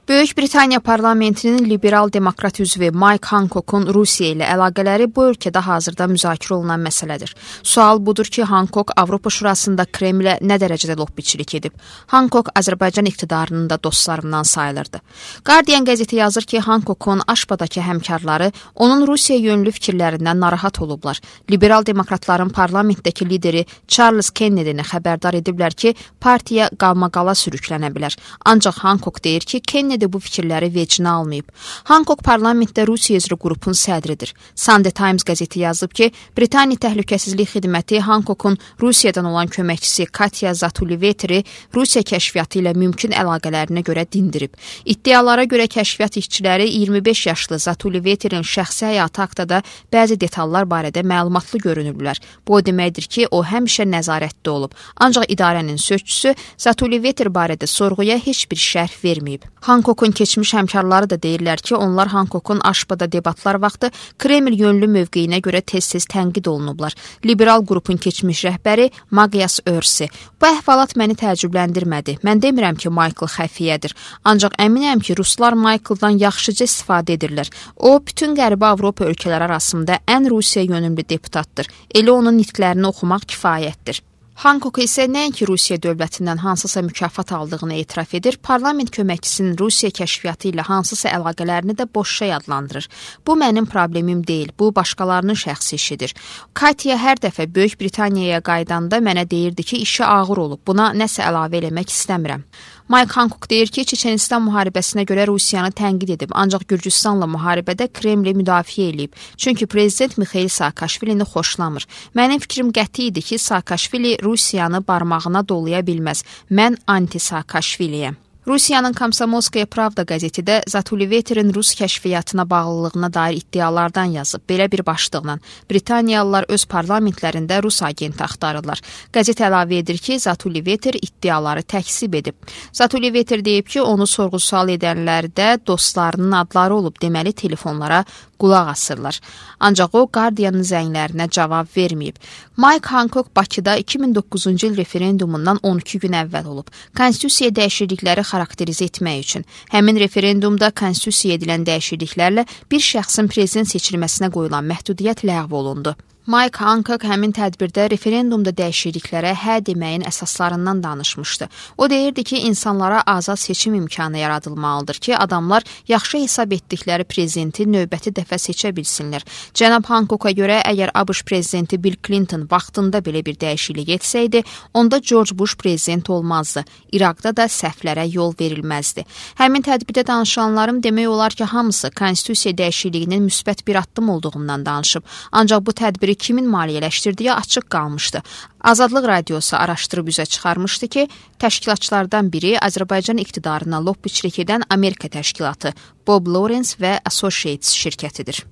Böyük Britaniya parlamentinin liberal demokrat üzvü Mike Hancock'un Rusiya ilə əlaqələri bu ölkədə hazırda müzakirə olunan məsələdir. Sual budur ki, Hancock Avropa Şurasında Kremlə nə dərəcədə lobbiçilik edib? Hancock Azərbaycan iqtidarının da dostlarından sayılırdı. Guardian qəzeti yazır ki, Hancock'un Aşbadakı həmkarları onun Rusiya yönlü fikirlərindən narahat olublar. Liberal demokratların parlamentdəki lideri Charles Kennedy-ni xəbərdar ediblər ki, partiya qalmaqala sürüklənə bilər. Ancaq Hancock deyir ki, Kennedy bu fikirləri vecinə almayıb. Hancock parlamentdə Rusiya üzrə qrupun sədridir. Sunday Times qəzeti yazıb ki, Britaniya Təhlükəsizlik Xidməti Hancock'un Rusiyadan olan köməkçisi Katya Zatuliveteri Rusiya kəşfiyyatı ilə mümkün əlaqələrinə görə dindirib. İddialara görə kəşfiyyat işçiləri 25 yaşlı Zatuliveterin şəxsi həyatı haqqında bəzi detallar barədə məlumatlı görünüblər. Bu o deməkdir ki, o həmişə nəzarətdə olub. Ancaq idarənin sözçüsü Zatuliveter barədə sorğuya heç bir şərh verməyib. Hancock'un keçmiş həmkarları da deyirlər ki, onlar Hancock'un Aşbada debatlar vaxtı Kreml yönlü mövqeyinə görə tez-tez tənqid olunublar. Liberal qrupun keçmiş rəhbəri Magyas Örsi. Bu əhvalat məni təəccübləndirmədi. Mən demirəm ki, Michael xəfiyyədir. Ancaq əminəm ki, Ruslar Michael'dan yaxşıca istifadə edirlər. O, bütün Qərbi Avropa ölkələri arasında ən Rusiya yönümlü deputatdır. Elə onun nitqlərini oxumaq kifayətdir. Hancock isə nəinki Rusiya dövlətindən hansısa mükafat aldığını etiraf edir, parlament köməkçisinin Rusiya kəşfiyyatı ilə hansısa əlaqələrini də boşa adlandırır. Bu mənim problemim deyil, bu başqalarının şəxsi işidir. Katya hər dəfə Böyük Britaniyaya qaydanda mənə deyirdi ki, işi ağır olub, buna nəsə əlavə eləmək istəmirəm. Mike Hancock deyir ki, Çeçenistan müharibəsinə görə Rusiyanı tənqid edib, ancaq Gürcüstanla müharibədə Kremli müdafiə eləyib. Çünki prezident Mikhail Saakashvilini xoşlamır. Mənim fikrim qəti idi ki, Saakashvili Rusiyanı barmağına dolaya bilməz. Mən anti-Saakashviliyəm. Rusiyanın Komsomolskaya Pravda qəzeti də Zatuliveterin Rus kəşfiyyatına bağlılığına dair iddialardan yazıb. Belə bir başlıqla Britaniyalılar öz parlamentlərində Rus agenti axtarırlar. Qəzet əlavə edir ki, Zatuliveter iddiaları təkzib edib. Zatuliveter deyib ki, onu sorğu-sual edənlərdə dostlarının adları olub, deməli telefonlara qulaq asırlar. Ancaq o, Guardian'ın zənglərinə cavab verməyib. Mike Hancock Bakıda 2009-cu il referendumundan 12 gün əvvəl olub. Konstitusiya dəyişiklikləri xarakterizə etmək üçün. Həmin referendumda konstitusiyaya edilən dəyişikliklərlə bir şəxsin prezident seçilməsinə qoyulan məhdudiyyət ləğv olundu. Mike Hancock həmin tədbirdə referendumda dəyişikliklərə hə deməyin əsaslarından danışmışdı. O deyirdi ki, insanlara azad seçim imkanı yaradılmalıdır ki, adamlar yaxşı hesab etdikləri prezidenti növbəti dəfə seçə bilsinlər. Cənab Hancocka görə, əgər ABŞ prezidenti Bill Clinton vaxtında belə bir dəyişiklik etsəydi, onda George Bush prezident olmazdı. İraqda da səhvlərə yol verilməzdi. Həmin tədbirdə danışanların demək olar ki, hamısı konstitusiya dəyişikliyinin müsbət bir addım olduğundan danışıb. Ancaq bu tədbiri kimin maliyyələşdirdiyi açıq qalmışdı. Azadlıq Radiosu araşdırıb üzə çıxarmışdı ki, təşkilatçılardan biri Azərbaycan iqtidarına lobbiçilik edən Amerika təşkilatı Bob Lawrence və Associates şirkətidir.